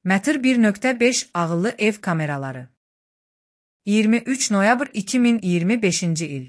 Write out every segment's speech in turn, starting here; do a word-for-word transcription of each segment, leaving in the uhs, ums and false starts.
Matter bir nöqtə beş ağıllı ev kameraları. iyirmi üç noyabr iki min iyirmi beşinci il.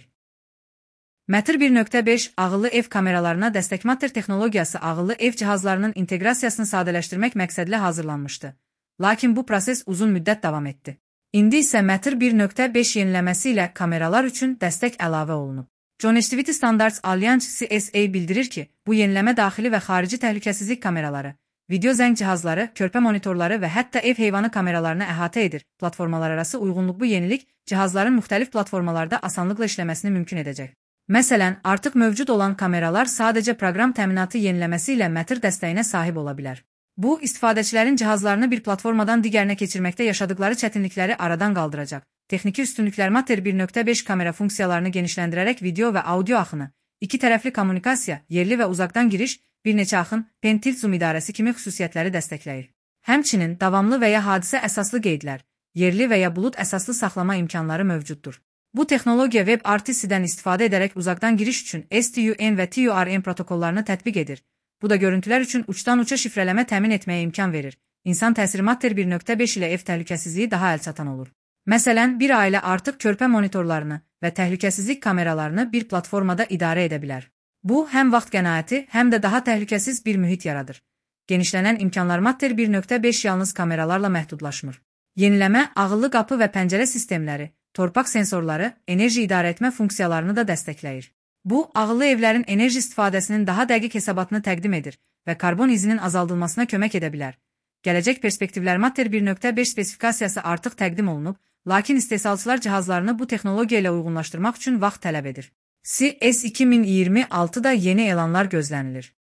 Matter bir nöqtə beş ağıllı ev kameralarına dəstək Matter texnologiyası ağıllı ev cihazlarının inteqrasiyasını sadələşdirmək məqsədlə hazırlanmışdı. Lakin bu proses uzun müddət davam etdi. İndi isə Matter bir nöqtə beş yeniləməsi ilə kameralar üçün dəstək əlavə olunub. Connectivity Standards Alliance C S A bildirir ki, bu yeniləmə daxili və xarici təhlükəsizlik kameraları, video zəng cihazları, körpə monitorları və hətta ev heyvanı kameralarını əhatə edir. Platformalar arası uyğunluq bu yenilik cihazların müxtəlif platformalarda asanlıqla işləməsini mümkün edəcək. Məsələn, artıq mövcud olan kameralar sadəcə proqram təminatı yeniləməsi ilə Matter dəstəyinə sahib ola bilər. Bu, istifadəçilərin cihazlarını bir platformadan digərinə keçirməkdə yaşadıkları çətinlikləri aradan qaldıracaq. Texniki üstünlüklər Matter bir nöqtə beş kamera funksiyalarını genişləndirərək video və audio axını, iki tərəfli kommunikasiya, yerli və uzaqdan giriş, bir neçə axın, pen tilt zoom idarəsi kimi xüsusiyyətləri dəstəkləyir. Həmçinin davamlı və ya hadisə əsaslı qeydlər, yerli və ya bulud əsaslı saxlama imkanları mövcuddur. Bu texnologiya WebRTC-dən istifadə edərək uzaqdan giriş üçün S T U N və T U R M protokollarını tətbiq edir. Bu da görüntülər üçün uçdan-uça şifrələmə təmin etməyə imkan verir. İnsan təsiri Matter bir nöqtə beş ilə ev təhlükəsizliyi daha əlçatan olur. Məsələn, bir ailə artıq körpə monitorlarını və təhlükəsizlik kameralarını bir platformada idarə edə bilər. Bu, həm vaxt qənaəti, həm də daha təhlükəsiz bir mühit yaradır. Genişlənən imkanlar Matter bir nöqtə beş yalnız kameralarla məhdudlaşmır. Yeniləmə, ağıllı qapı və pəncərə sistemləri, torpaq sensorları, enerji idarə etmə funksiyalarını da dəstəkləyir. Bu, ağıllı evlərin enerji istifadəsinin daha dəqiq hesabatını təqdim edir və karbon izinin azaldılmasına kömək edə bilər. Gələcək perspektivlər Matter bir nöqtə beş spesifikasiyası artıq təqdim olunub, lakin istehsalçılar cihazlarını bu texnologiya ilə uyğunlaşdırmaq üçün vaxt tələb edir. C S iki min iyirmi altıda yeni elanlar gözlənilir.